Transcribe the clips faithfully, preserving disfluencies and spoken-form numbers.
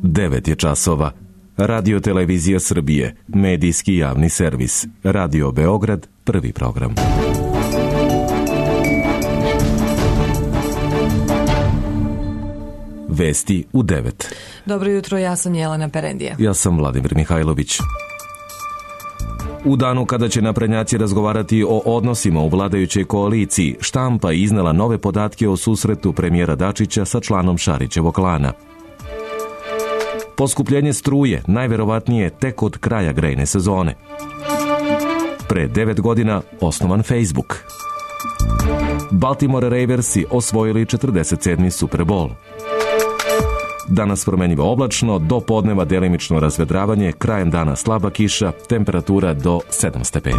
devet je časova. Radio Televizija Srbije, medijski javni servis. Radio Beograd, prvi program. Vesti u devet. Dobro jutro, ja sam Jelena Perendija. Ja sam Vladimir Mihajlović. U danu kada će naprednjaci razgovarati o odnosima u vladajućoj koaliciji, štampa je iznela nove podatke o susretu premijera Dačića sa članom Šarićevog klana. Poskupljenje struje najverovatnije tek od kraja grejne sezone. Pre devet godina osnovan Facebook. Baltimore Raversi osvojili četrdeset sedmi Super Bowl. Danas promenljivo oblačno, do podneva delimično razvedravanje, krajem dana slaba kiša, temperatura do sedam stepeni.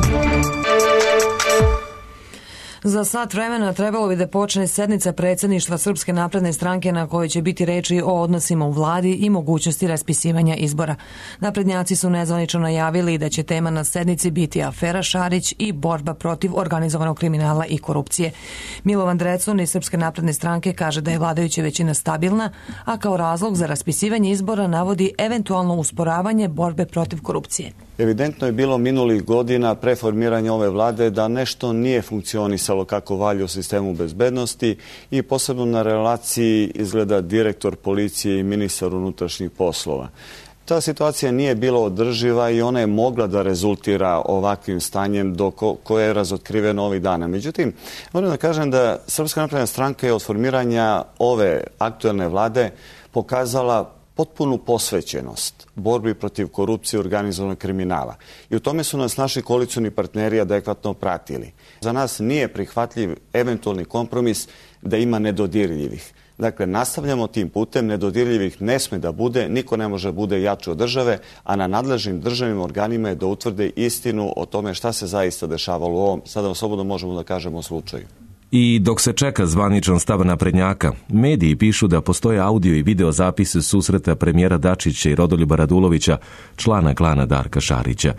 Za sat vremena trebalo bi da počne sednica predsjedništva Srpske napredne stranke na kojoj će biti reči o odnosima u vladi i mogućnosti raspisivanja izbora. Naprednjaci su nezvanično najavili da će tema na sednici biti afera Šarić i borba protiv organizovanog kriminala i korupcije. Milovan Drecun iz Srpske napredne stranke kaže da je vladajuća većina stabilna, a kao razlog za raspisivanje izbora navodi eventualno usporavanje borbe protiv korupcije. Evidentno je bilo minulih godina pre formiranja ove vlade da nešto nije funkcionisalo kako valja u sistemu bezbednosti i posebno na relaciji izgleda direktor policije i ministar unutrašnjih poslova. Ta situacija nije bila održiva i ona je mogla da rezultira ovakvim stanjem do ko, koje je razotkriveno ovih dana. Međutim, moram da kažem da Srpska napredna stranka je od formiranja ove aktuelne vlade pokazala potpunu posvećenost borbi protiv korupcije i organizovanog kriminala. I u tome su nas naši koalicioni partneri adekvatno pratili. Za nas nije prihvatljiv eventualni kompromis da ima nedodirljivih. Dakle, nastavljamo tim putem, nedodirljivih ne sme da bude, niko ne može bude jači od države, a na nadležnim državnim organima je da utvrde istinu o tome šta se zaista dešavalo u ovom, sada slobodno možemo da kažemo, slučaju. I dok se čeka zvaničan stav naprednjaka, mediji pišu da postoje audio i video zapise susreta premijera Dačića i Rodoljuba Radulovića, člana klana Darka Šarića.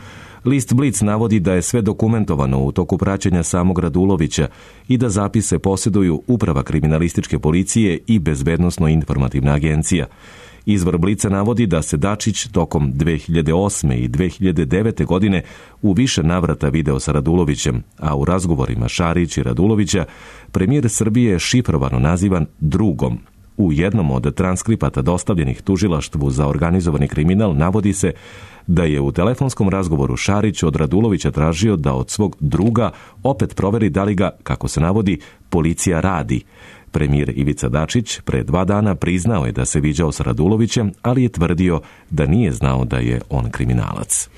List Blic navodi da je sve dokumentovano u toku praćenja samog Radulovića i da zapise posjeduju Uprava kriminalističke policije i Bezbednosno-informativna agencija. Izvor Blica navodi da se Dačić tokom dve hiljade osme i dve hiljade devete. godine u više navrata video sa Radulovićem, a u razgovorima Šarić i Radulovića premijer Srbije je šifrovano nazivan drugom. U jednom od transkripata dostavljenih tužilaštvu za organizovani kriminal navodi se da je u telefonskom razgovoru Šarić od Radulovića tražio da od svog druga opet proveri da li ga, kako se navodi, policija radi. Premijer Ivica Dačić pre dva dana priznao je da se viđao sa Radulovićem, ali je tvrdio da nije znao da je on kriminalac.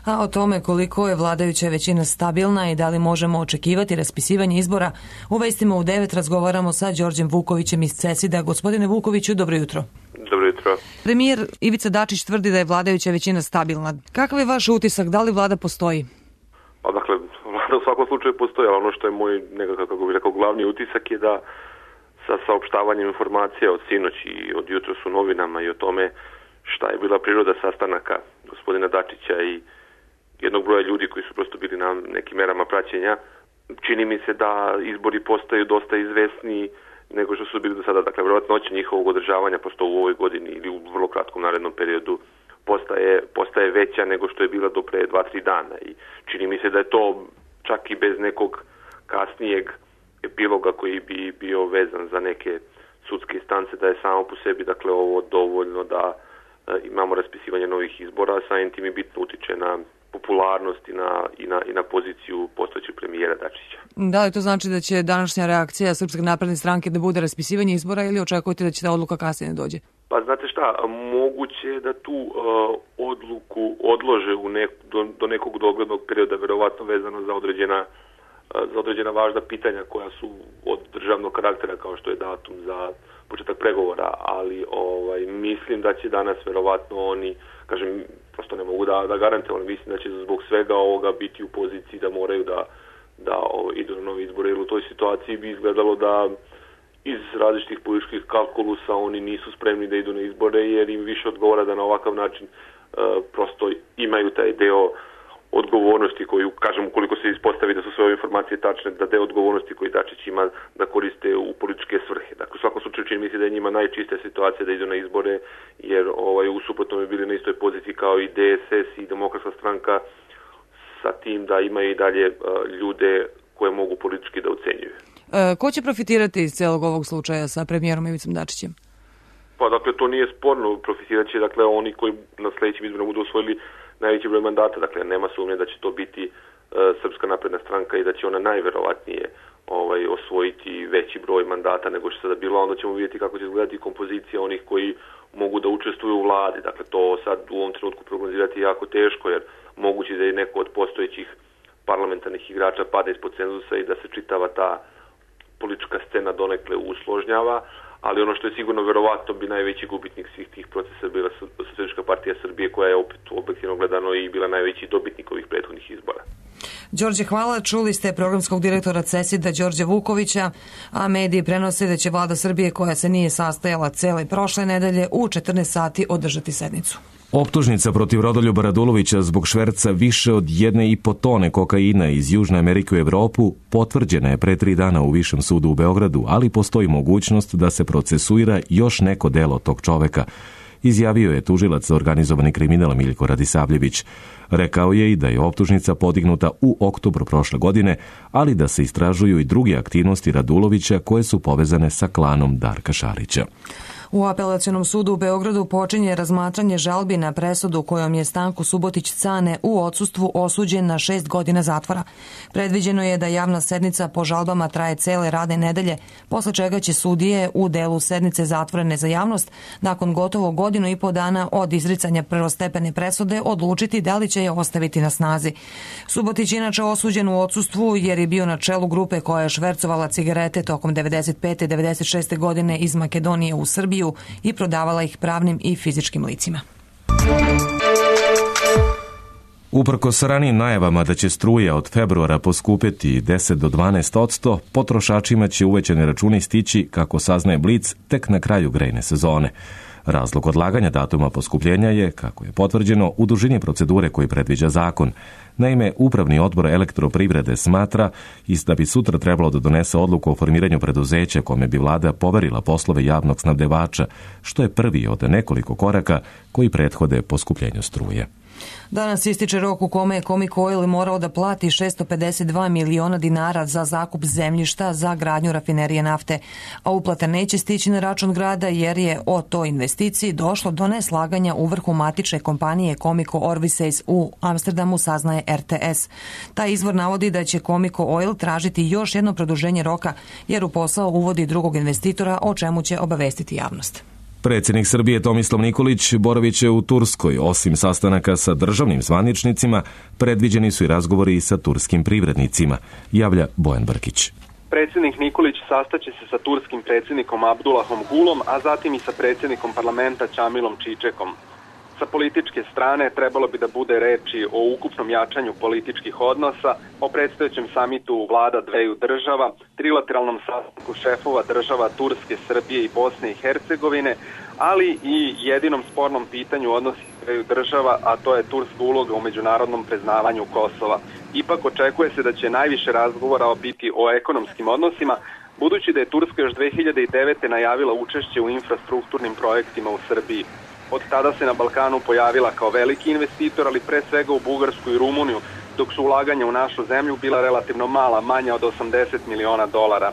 A o tome koliko je vladajuća većina stabilna i da li možemo očekivati raspisivanje izbora, u vestima u devet razgovaramo sa Đorđem Vukovićem iz Cesida. Gospodine Vukoviću, dobro jutro. Dobro jutro. Premijer Ivica Dačić tvrdi da je vladajuća većina stabilna. Kakav je vaš utisak? Da li vlada postoji? Pa dakle, vlada u svakom slučaju postoji, ali ono što je moj nekakav, kako bih rekao, glavni utisak je da sa saopštavanjem informacija od sinoć i od jutros u novinama i o tome šta je bila priroda sastanaka gospodina Dačića i jednog broja ljudi koji su prosto bili na nekim merama praćenja, čini mi se da izbori postaju dosta izvesniji nego što su bili do sada. Dakle, vjerovatnoća njihovog održavanja posto u ovoj godini ili u vrlo kratkom narednom periodu postaje, postaje veća nego što je bila do pre dva tri dana. I čini mi se da je to čak i bez nekog kasnijeg epiloga koji bi bio vezan za neke sudske instance, da je samo po sebi, dakle, ovo dovoljno da e, imamo raspisivanje novih izbora, a samim tim i bitno utiče na popularnost i na, i na, i na poziciju postojećeg premijera Dačića. Da li to znači da će današnja reakcija Srpske napredne stranke da bude raspisivanje izbora ili očekujete da će ta odluka kasnije dođe? Pa znate šta, moguće je da tu uh, odluku odlože u nek, do, do nekog doglednog perioda, verovatno vezano za određena za određena važna pitanja koja su od državnog karaktera, kao što je datum za početak pregovora, ali ovaj, mislim da će danas verovatno oni, kažem, prosto ne mogu da, da garantujem, ali mislim da će zbog svega ovoga biti u poziciji da moraju da, da o, idu na novi izbore, jer u toj situaciji bi izgledalo da iz različitih političkih kalkulusa oni nisu spremni da idu na izbore, jer im više odgovara da na ovakav način uh, prosto imaju taj deo odgovornosti koju, kažem, ukoliko se ispostavi da su sve ove informacije tačne, da deo odgovornosti koji Dačić ima da koriste u političke svrhe. Dakle, u svakom slučaju čini mi se da je njima najčistija situacija da idu na izbore, jer ovaj, u suprotnom je bili na istoj poziciji kao i D S S i Demokratska stranka, sa tim da imaju i dalje uh, ljude koje mogu politički da ucenjuju. E, ko će profitirati iz celog ovog slučaja sa premijerom Ivicom Dačićem? Pa dakle, to nije sporno, profitirat će dakle oni koji na sledećim izborima budu osvojili najveći broj mandata, dakle nema sumnje da će to biti uh, Srpska napredna stranka i da će ona najverovatnije ovaj, osvojiti veći broj mandata nego što sada bilo, onda ćemo vidjeti kako će izgledati kompozicija onih koji mogu da učestvuju u vladi. Dakle, to sad u ovom trenutku prognozirati je jako teško, jer moguće da je neko od postojećih parlamentarnih igrača pada ispod cenzusa i da se čitava ta politička scena donekle usložnjava, ali ono što je sigurno verovatno bi najveći gubitnik svih tih procesa bila Socijalistička partija Srbije, koja je opet objektivno gledano i bila najveći dobitnik ovih prethodnih izbora. Đorđe, hvala. Čuli ste programskog direktora CESID-a Đorđa Vukovića, a mediji prenose da će vlada Srbije, koja se nije sastajala cele prošle nedelje, u četrnaest sati održati sednicu. Optužnica protiv Rodoljuba Radulovića zbog šverca više od jedne i po tone kokaina iz Južne Amerike u Evropu potvrđena je pre tri dana u Višem sudu u Beogradu, ali postoji mogućnost da se procesuira još neko delo tog čoveka, izjavio je tužilac za organizovani kriminal Miljko Radisavljević. Rekao je i da je optužnica podignuta u oktobru prošle godine, ali da se istražuju i druge aktivnosti Radulovića koje su povezane sa klanom Darka Šarića. U Apelacionom sudu u Beogradu počinje razmatranje žalbi na presudu kojom je Stanko Subotić Cane u odsustvu osuđen na šest godina zatvora. Predviđeno je da javna sednica po žalbama traje cele radne nedelje, posle čega će sudije u delu sednice zatvorene za javnost nakon gotovo godinu i po dana od izricanja prvostepene presude odlučiti da li će je ostaviti na snazi. Subotić je inače osuđen u odsustvu jer je bio na čelu grupe koja je švercovala cigarete tokom devedeset pete i devedeset šeste godine iz Makedonije u Srbiju i prodavala ih pravnim i fizičkim licima. Uprkos ranijim najavama da će struja od februara poskupeti deset do dvanaest posto, potrošačima će uvećani računi stići, kako saznaje Blic, tek na kraju grejne sezone. Razlog odlaganja datuma poskupljenja je, kako je potvrđeno, u dužini procedure koji predviđa zakon. Naime, Upravni odbor Elektroprivrede smatra da bi sutra trebalo da donese odluku o formiranju preduzeća kome bi vlada poverila poslove javnog snabdevača, što je prvi od nekoliko koraka koji prethode poskupljenju struje. Danas ističe rok u kome je Comic Oil morao da plati šesto pedeset dva miliona dinara za zakup zemljišta za gradnju rafinerije nafte, a uplata neće stići na račun grada jer je o toj investiciji došlo do neslaganja u vrhu matične kompanije Comico Orvisace u Amsterdamu, saznaje R T S. Taj izvor navodi da će Comico Oil tražiti još jedno produženje roka jer u posao uvodi drugog investitora, o čemu će obavestiti javnost. Predsjednik Srbije Tomislav Nikolić boravit će u Turskoj. Osim sastanaka sa državnim zvaničnicima, predviđeni su i razgovori sa turskim privrednicima, javlja Bojan Brkić. Predsjednik Nikolić sastaće se sa turskim predsjednikom Abdullahom Gulom, a zatim i sa predsjednikom parlamenta Čamilom Čičekom. Sa političke strane trebalo bi da bude reči o ukupnom jačanju političkih odnosa, o predstojećem samitu vlada dveju država, trilateralnom sastanku šefova država Turske, Srbije i Bosne i Hercegovine, ali i jedinom spornom pitanju odnosi dveju država, a to je turska uloga u međunarodnom priznavanju Kosova. Ipak očekuje se da će najviše razgovora biti o ekonomskim odnosima, budući da je Turska još dve hiljade devete. najavila učešće u infrastrukturnim projektima u Srbiji. Od tada se na Balkanu pojavila kao veliki investitor, ali pre svega u Bugarsku i Rumuniju, dok su ulaganja u našu zemlju bila relativno mala, manja od osamdeset miliona dolara.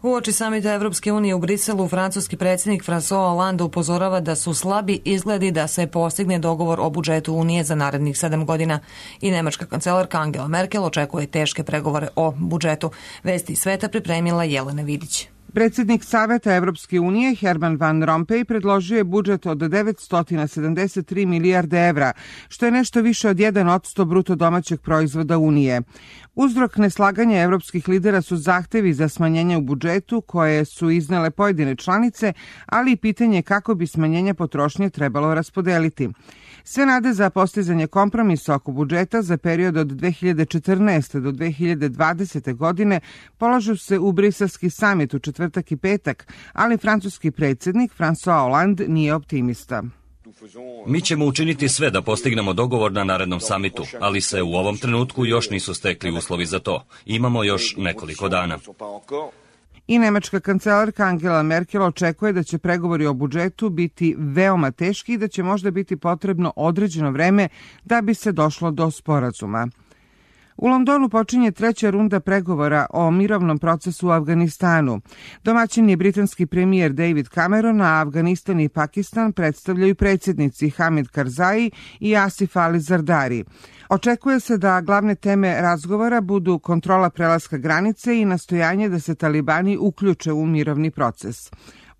Uoči samita Evropske unije u Briselu, francuski predsjednik François Hollande upozorava da su slabi izgledi da se postigne dogovor o budžetu Unije za narednih sedam godina i nemačka kancelarka Angela Merkel očekuje teške pregovore o budžetu. Vesti sveta pripremila Jelena Vidić. Predsjednik Saveta Evropske unije Herman Van Rompuy predložio je budžet od devetsto sedamdeset tri milijarde evra, što je nešto više od jedan posto bruto domaćeg proizvoda Unije. Uzrok neslaganja evropskih lidera su zahtevi za smanjenje u budžetu koje su iznele pojedine članice, ali i pitanje kako bi smanjenje potrošnje trebalo raspodeliti. Sve nade za postizanje kompromisa oko budžeta za period od dve hiljade četrnaeste. do dve hiljade dvadesete. godine polažu se u briselski samit u četvrtak i petak, ali francuski predsjednik François Hollande nije optimista. Mi ćemo učiniti sve da postignemo dogovor na narednom samitu, ali se u ovom trenutku još nisu stekli uslovi za to. Imamo još nekoliko dana. I nemačka kancelarka Angela Merkel očekuje da će pregovori o budžetu biti veoma teški i da će možda biti potrebno određeno vreme da bi se došlo do sporazuma. U Londonu počinje treća runda pregovora o mirovnom procesu u Afganistanu. Domaćin je britanski premijer David Cameron, a Afganistan i Pakistan predstavljaju predsjednici Hamid Karzai i Asif Ali Zardari. Očekuje se da glavne teme razgovora budu kontrola prelaska granice i nastojanje da se talibani uključe u mirovni proces.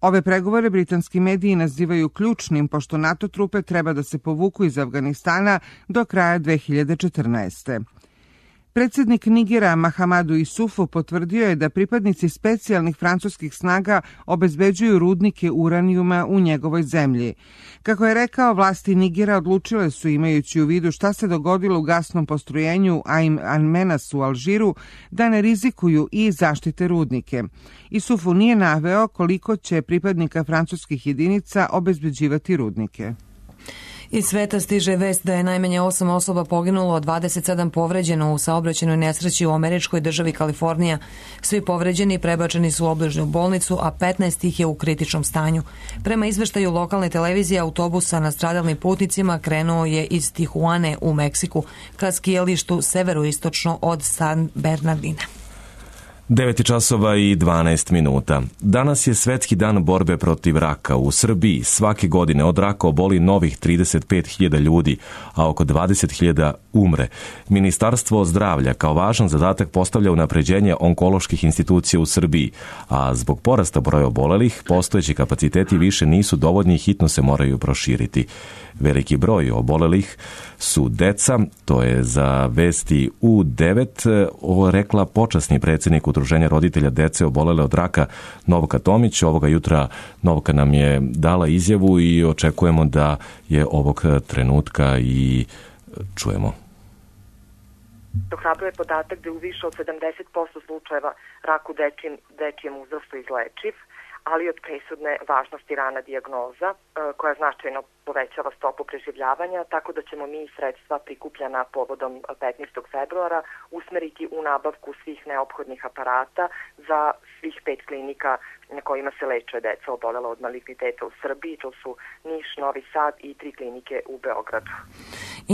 Ove pregovore britanski mediji nazivaju ključnim, pošto NATO trupe treba da se povuku iz Afganistana do kraja dve hiljade četrnaeste. Predsjednik Nigera Mahamadu Isufu potvrdio je da pripadnici specijalnih francuskih snaga obezbeđuju rudnike uranijuma u njegovoj zemlji. Kako je rekao, vlasti Nigera odlučile su, imajući u vidu šta se dogodilo u gasnom postrojenju Ain al-Menas u Alžiru, da ne rizikuju i zaštite rudnike. Isufu nije naveo koliko će pripadnika francuskih jedinica obezbeđivati rudnike. Iz sveta stiže vest da je najmanje osam osoba poginulo, dvadeset sedam povređeno u saobraćajnoj nesreći u američkoj državi Kalifornija. Svi povređeni prebačeni su u obližnju bolnicu, a petnaest ih je u kritičnom stanju. Prema izveštaju lokalne televizije, autobus sa nastradalnim putnicima krenuo je iz Tijuane u Meksiku ka skijalištu severoistočno od San Bernardina. devet časova i dvanaest minuta. Danas je Svetski dan borbe protiv raka. U Srbiji svake godine od raka oboli novih trideset pet hiljada ljudi, a oko dvadeset hiljada umre. Ministarstvo zdravlja kao važan zadatak postavlja unapređenje onkoloških institucija u Srbiji, a zbog porasta broja obolelih, postojeći kapaciteti više nisu dovoljni i hitno se moraju proširiti. Veliki broj obolelih su deca, to je za Vesti U devet rekla počasni predsjednik Udruženja roditelja dece obolele od raka Novka Tomić. Ovoga jutra Novka nam je dala izjavu i očekujemo da je ovog trenutka i čujemo. Ohrabruje podatak da je u više od sedamdeset posto slučajeva rak u dečijem, dečijem uzrastu izlečiv, ali od presudne važnosti rana dijagnoza koja značajno povećava stopu preživljavanja, tako da ćemo mi sredstva prikupljena povodom petnaestog februara usmeriti u nabavku svih neophodnih aparata za svih pet klinika na kojima se leče deca obolela od maligniteta u Srbiji. To su Niš, Novi Sad i tri klinike u Beogradu.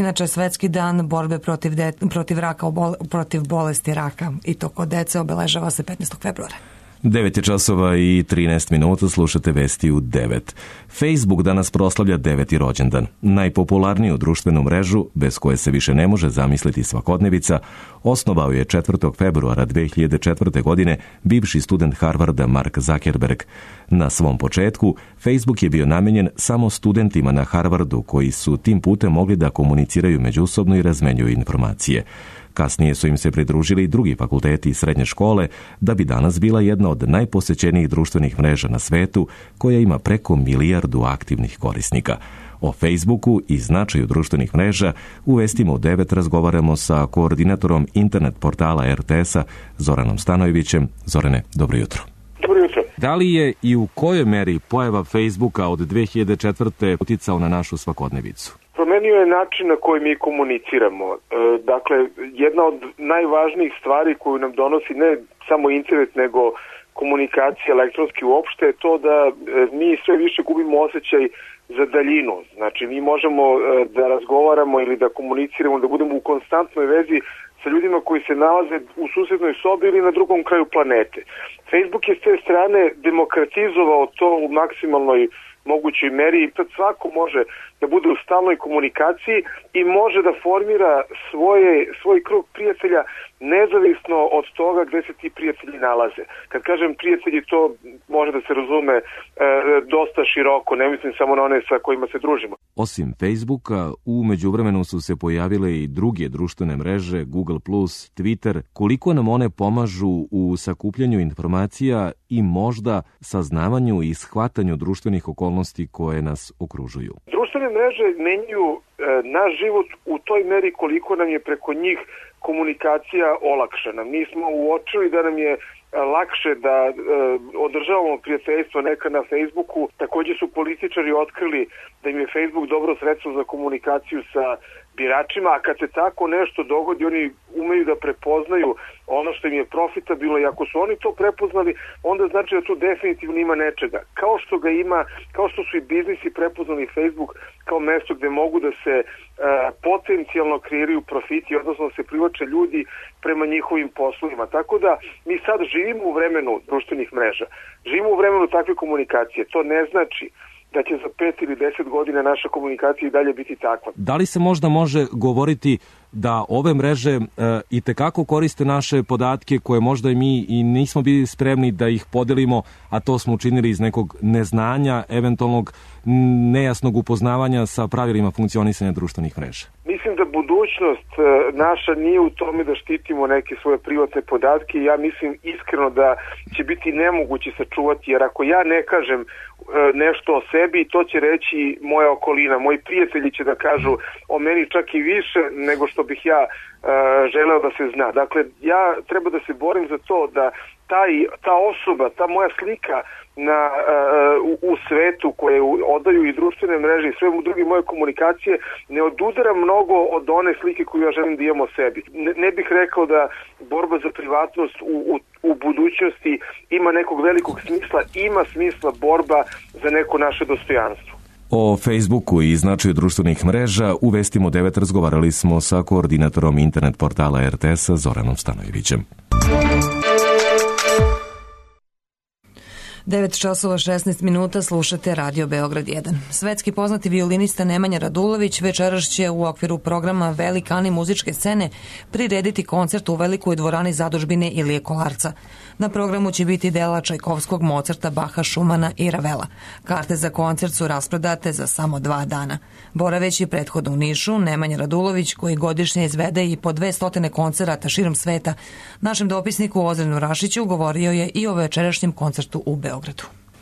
Inače, Svetski dan borbe protiv, de, protiv, raka, protiv bolesti raka i to kod dece obeležava se petnaestog februara. devet časova i trinaest minuta, slušate Vesti u devet. Facebook danas proslavlja deveti rođendan. Najpopularniju društvenu mrežu, bez koje se više ne može zamisliti svakodnevica, osnovao je četvrtog februara dve hiljade četvrte. godine bivši student Harvarda Mark Zuckerberg. Na svom početku, Facebook je bio namenjen samo studentima na Harvardu koji su tim putem mogli da komuniciraju međusobno i razmenjuju informacije. Kasnije su im se pridružili i drugi fakulteti i srednje škole, da bi danas bila jedna od najposećenijih društvenih mreža na svetu, koja ima preko milijardu aktivnih korisnika. O Facebooku i značaju društvenih mreža u Vestima u devet razgovaramo sa koordinatorom internet portala er te es-a Zoranom Stanojevićem. Zorane, dobro jutro. Dobro jutro. Da li je i u kojoj meri pojava Facebooka od dve hiljade četvrte. uticao na našu svakodnevicu? Promenio je način na koji mi komuniciramo. E, dakle, jedna od najvažnijih stvari koju nam donosi ne samo internet, nego komunikacija elektronski uopšte je to da e, mi sve više gubimo osjećaj za daljinu. Znači, mi možemo e, da razgovaramo ili da komuniciramo, da budemo u konstantnoj vezi sa ljudima koji se nalaze u susednoj sobi ili na drugom kraju planete. Facebook je s te strane demokratizovao to u maksimalnoj mogućoj meri i tad svako može da bude u stalnoj komunikaciji i može da formira svoje, svoj krug prijatelja nezavisno od toga gde se ti prijatelji nalaze. Kad kažem prijatelji, to može da se razume e, dosta široko, ne mislim samo na one sa kojima se družimo. Osim Facebooka, u međuvremenu su se pojavile i druge društvene mreže, Google plus, Twitter. Koliko nam one pomažu u sakupljanju informacija i možda saznavanju i shvatanju društvenih okolnosti koje nas okružuju? Društvene mreže menjaju e, naš život u toj meri koliko nam je preko njih komunikacija olakšana. Mi smo uočili da nam je lakše da e, održavamo prijateljstvo neka na Facebooku. Također su političari otkrili da im je Facebook dobro sredstvo za komunikaciju sa biračima, a kad se tako nešto dogodi, oni umeju da prepoznaju ono što im je profitabilno, i ako su oni to prepoznali, onda znači da tu definitivno ima nečega. Kao što ga ima, kao što su i biznisi prepoznali Facebook kao mesto gde mogu da se e, potencijalno kreiraju profiti, odnosno da se privlače ljudi prema njihovim poslovima. Tako da mi sad živimo u vremenu društvenih mreža, živimo u vremenu takve komunikacije. To ne znači da će za pet ili deset godina naša komunikacija i dalje biti takva. Da li se možda može govoriti da ove mreže e, i tekako koriste naše podatke koje možda i mi i nismo bili spremni da ih podelimo, a to smo učinili iz nekog neznanja, eventualnog nejasnog upoznavanja sa pravilima funkcionisanja društvenih mreža? Mislim da budućnost naša nije u tome da štitimo neke svoje privatne podatke. Ja mislim iskreno da će biti nemoguće sačuvati, jer ako ja ne kažem nešto o sebi, to će reći moja okolina. Moji prijatelji će da kažu o meni čak i više nego što bih ja želeo da se zna. Dakle, ja treba da se borim za to da taj, ta osoba, ta moja slika na, uh, u, u svetu koje odaju i društvene mreže i sve u druge moje komunikacije ne odudara mnogo od one slike koju ja želim da imam o sebi. Ne, ne bih rekao da borba za privatnost u, u, u budućnosti ima nekog velikog smisla, ima smisla borba za neko naše dostojanstvo. O Facebooku i značaju društvenih mreža u Vestima u devet razgovarali smo sa koordinatorom internet portala er te es-a Zoranom Stanojevićem. devet časova šesnaest minuta, slušate Radio Beograd jedan. Svetski poznati violinista Nemanja Radulović večeras će u okviru programa Velikani muzičke scene prirediti koncert u Velikoj dvorani zadužbine Ilije Kolarca. Na programu će biti dela Čajkovskog, Mozarta, Baha, Šumana i Ravela. Karte za koncert su rasprodate za samo dva dana. Boraveći prethodno u Nišu, Nemanja Radulović, koji godišnje izvede i po dve stotine koncerata širom sveta, našem dopisniku Ozrenu Rašiću govorio je i o večerašnjem koncertu u Beogradu.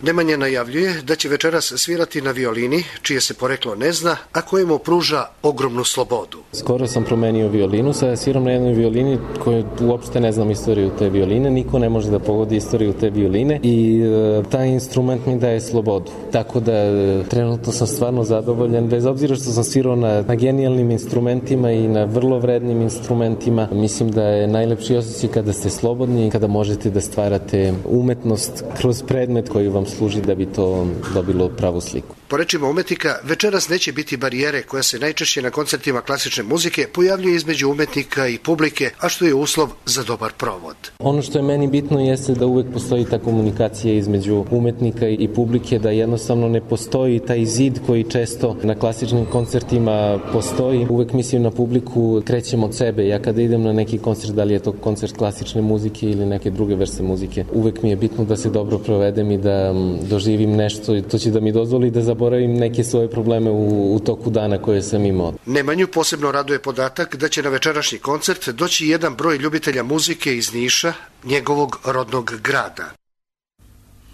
Nemanja najavljuje da će večeras svirati na violini, čije se poreklo ne zna, a kojemu pruža ogromnu slobodu. Skoro sam promenio violinu, sada sviram na jednoj violini koju uopšte ne znam istoriju te violine, niko ne može da pogodi istoriju te violine i e, taj instrument mi daje slobodu. Tako da e, trenutno sam stvarno zadovoljan, bez obzira što sam svirao na, na genijalnim instrumentima i na vrlo vrednim instrumentima. Mislim da je najlepši osjećaj kada ste slobodni i kada možete da stvarate umetnost kroz predmet koji vam služi da bi to dobilo pravu sliku. Po rečima umetnika, večeras neće biti barijere koja se najčešće na koncertima klasične muzike pojavljuje između umetnika i publike, a što je uslov za dobar provod. Ono što je meni bitno jeste da uvek postoji ta komunikacija između umetnika i publike, da jednostavno ne postoji taj zid koji često na klasičnim koncertima postoji. Uvek mislim na publiku, krećem od sebe. Ja kada idem na neki koncert, da li je to koncert klasične muzike ili neke druge vrste muzike, uvek mi je bitno da se dobro provedem i da doživim nešto i to će da mi dozvoli da zaboravim neke svoje probleme u, u toku dana koje sam imao. Nemanju posebno raduje podatak da će na večerašnji koncert doći jedan broj ljubitelja muzike iz Niša, njegovog rodnog grada.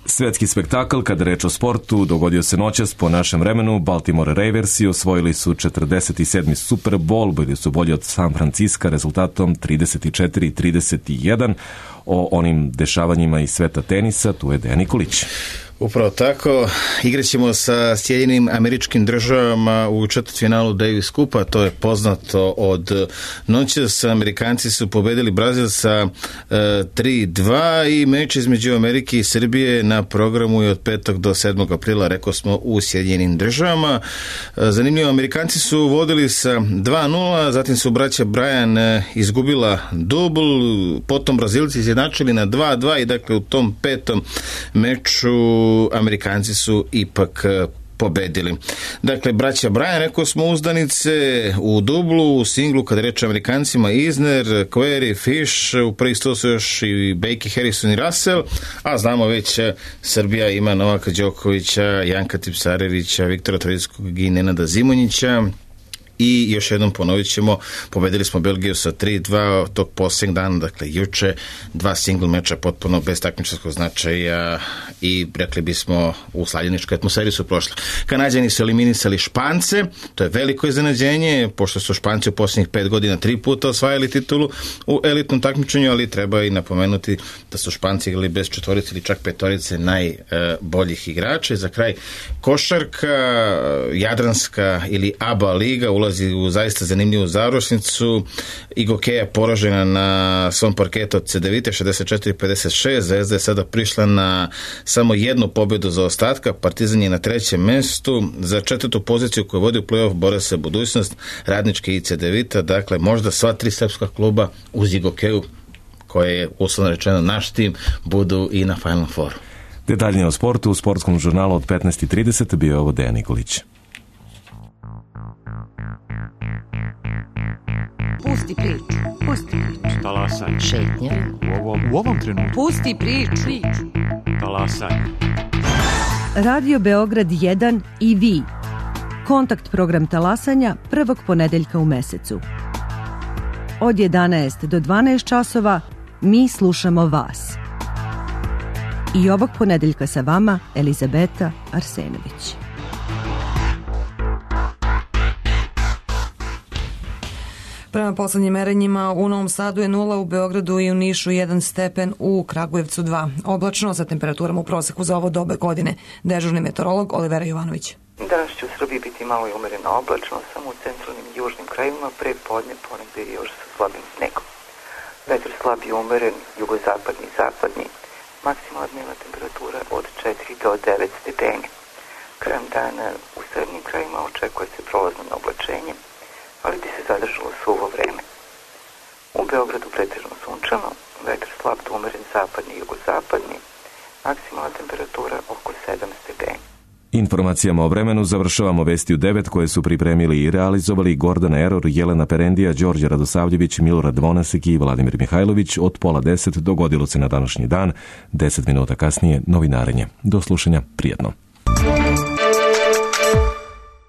Svetski spektakl, kada reč o sportu, dogodio se noćas po našem vremenu. Baltimore Raversi osvojili su četrdeset sedmi Super Bowl, bili su bolji od San Franciska rezultatom trideset četiri trideset jedan. O onim dešavanjima iz sveta tenisa, tu je Dejan Nikolić. Upravo tako, igraćemo sa Sjedinjenim Američkim Državama u četvrtfinalu Davis Cupa, to je poznato od noćas. Amerikanci su pobedili Brazil sa e, tri dva i meč između Amerike i Srbije na programu je od petog do sedmog aprila, rekao smo, u Sjedinjenim Državama. E, zanimljivo, Amerikanci su vodili sa dva nula, zatim su braća Bryan e, izgubila dubl, potom Brazilci izjednačili na dva dva i dakle u tom petom meču Amerikanci su ipak pobedili. Dakle, braća Bryan, rekao smo, uzdanice u dublu, u singlu, kada reče Amerikancima, Isner, Query, Fish, u prvih sto su još i Becky, Harrison i Russell, a znamo već Srbija ima Novaka Đokovića, Janka Tipsarevića, Viktora Troickog i Nenada Zimonjića. i još jednom ponovit ćemo, pobedili smo Belgiju sa tri dva tog posljednjeg dana, dakle juče, dva single meča potpuno bez takmičarskog značaja i rekli bismo u slavljeničkoj atmosferi su prošli. Kanađani su eliminisali Špance, to je veliko iznenađenje, pošto su Španci u posljednjih pet godina tri puta osvajali titulu u elitnom takmičenju, ali treba i napomenuti da su Španci igrali bez četvorice ili čak petorice najboljih igrača. I za kraj košarka, Jadranska ili A B A liga ulazi u zaista zanimljivu završnicu. Igokeja poražena na svom parketu od Cedevite šezdeset četiri pedeset šest, Zvezda je sada prišla na samo jednu pobjedu za ostatka, Partizan je na trećem mestu, za četvrtu poziciju koju vodi u play-off bore se budućnost Radničke i Cedevita, dakle možda sva tri srpska kluba uz Igokeju, koje je uslovno rečeno naš tim, budu i na Final Fouru. Detaljnije o sportu u sportskom žurnalu od petnaest i trideset bio je ovo Dejan Nikolić. Pusti priču, pusti priču. Talasaj. Šetnja. U ovom, u ovom trenutku. Pusti priču. priču. Talasaj. Radio Beograd jedan i vi. Kontakt program talasanja prvog ponedeljka u mesecu. Od jedanaest do dvanaest časova mi slušamo vas. I ovog ponedeljka sa vama Elizabeta Arsenović. Prema poslednjim merenjima u Novom Sadu je nula, u Beogradu i u Nišu jedan stepen, u Kragujevcu dva. Oblačno sa temperaturama u proseku za ovo dobe godine. Dežurni meteorolog Olivera Jovanović. Danas će u Srbiji biti malo i umereno oblačno, samo u centralnim i južnim krajevima, pre podne ponegde još sa slabim snegom. Vetar slab i umeren, jugozapadni i zapadni, maksimalna dnevna temperatura od četiri do devet stepeni. Krajem dana u srednjim krajevima očekuje se prolazno na oblačenje, ali bi se zadržalo suvo vreme. U Beogradu pretežno sunčano, vetar slab do umeren zapadni i jugozapadni, maksimalna temperatura oko sedam stepeni. Informacijama o vremenu završavamo vesti u devet koje su pripremili i realizovali Gordana Eror, Jelena Perendija, Đorđe Radosavljević, Milorad Vonasek i Vladimir Mihajlović. Od pola deset dogodilo se na današnji dan, deset minuta kasnije novinarenje. Do slušanja, prijetno.